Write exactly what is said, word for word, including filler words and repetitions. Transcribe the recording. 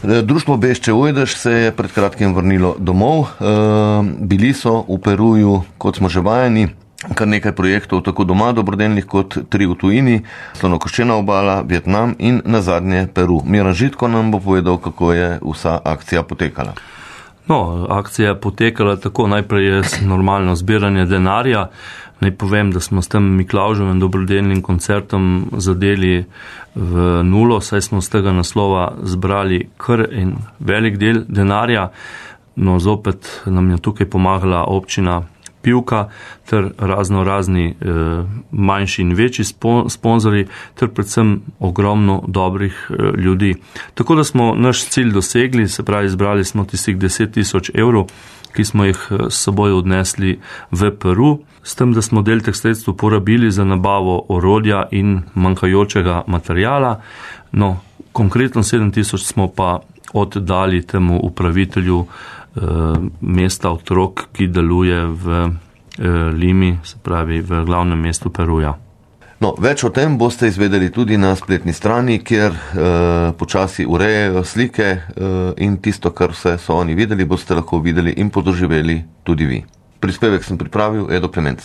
Društvo Bešče Ujdež se je pred kratkim vrnilo domov. Bili so v Peruju, kot smo že vajeni, kar nekaj projektov, tako doma dobrodelnih kot tri v tujini, Slonokoščena obala, Vietnam in nazadnje Peru. Miran Žitko nam bo povedal, kako je vsa akcija potekala. No, akcija je potekala tako, najprej je normalno zbiranje denarja. Naj povem, da smo s tem Miklavževim dobrodelnim koncertom zadeli v nulo, saj smo z tega naslova zbrali kar en velik del denarja. No, zopet nam je tukaj pomagala občina Pivka ter razno razni eh, manjši in večji sponzori ter predvsem ogromno dobrih eh, ljudi. Tako da smo naš cilj dosegli, se pravi, zbrali smo tistih deset tisoč evrov, ki smo jih s seboj odnesli v Peru, s tem, da smo del teh sredstev porabili za nabavo orodja in manjkajočega materijala. No, konkretno sedem tisoč smo pa oddali temu upravitelju eh, mesta otrok, ki deluje v eh, Limi, se pravi v glavnem mestu Peruja. No, več o tem boste izvedeli tudi na spletni strani, kjer eh, počasi urejajo slike eh, in tisto, kar vse so oni videli, boste lahko videli in podoživeli tudi vi. Prispevek sem pripravil Edo Klemenc.